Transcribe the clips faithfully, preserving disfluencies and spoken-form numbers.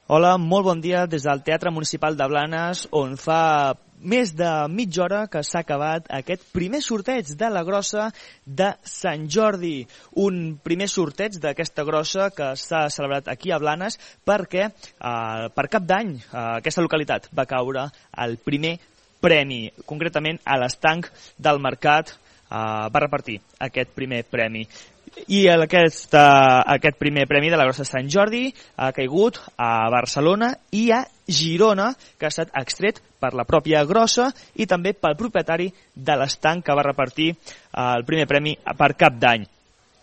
Hola, molt bon dia des del Teatre Municipal de Blanes, on fa més de mitja hora que s'ha acabat aquest primer sorteig de la grossa de Sant Jordi. Un primer sorteig d'aquesta grossa que s'ha celebrat aquí a Blanes perquè eh, per Cap d'Any a aquesta localitat va caure el primer premi. Concretament a l'estanc del mercat eh, va repartir aquest primer premi. I aquest, uh, aquest primer premi de la grossa de Sant Jordi ha caigut a Barcelona i a Girona, que ha estat extret per la pròpia grossa i també pel propietari de l'estanc que va repartir uh, el primer premi per Cap d'Any.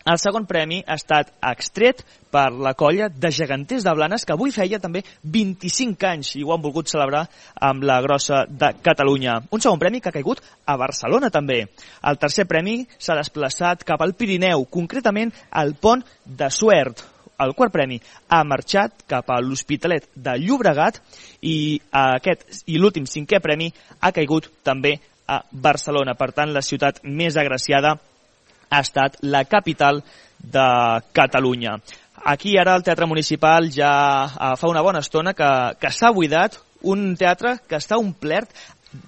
El segon premi ha estat extret per la colla de geganters de Blanes, que avui feia també vint-i-cinc anys i ho han volgut celebrar amb la grossa de Catalunya. Un segon premi que ha caigut a Barcelona també. El tercer premi s'ha desplaçat cap al Pirineu, concretament al Pont de Suert. El quart premi ha marxat cap a l'Hospitalet de Llobregat i, aquest, i l'últim cinquè premi ha caigut també a Barcelona. Per tant, la ciutat més agraciada ha estat la capital de Catalunya. Aquí ara el Teatre Municipal ja fa una bona estona que, que s'ha buidat, un teatre que està omplert,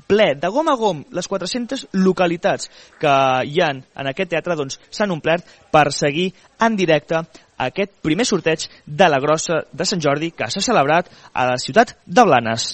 ple, de gom a gom, les quatre-centes localitats que hi ha en aquest teatre doncs, s'han omplert per seguir en directe aquest primer sorteig de la grossa de Sant Jordi que s'ha celebrat a la ciutat de Blanes.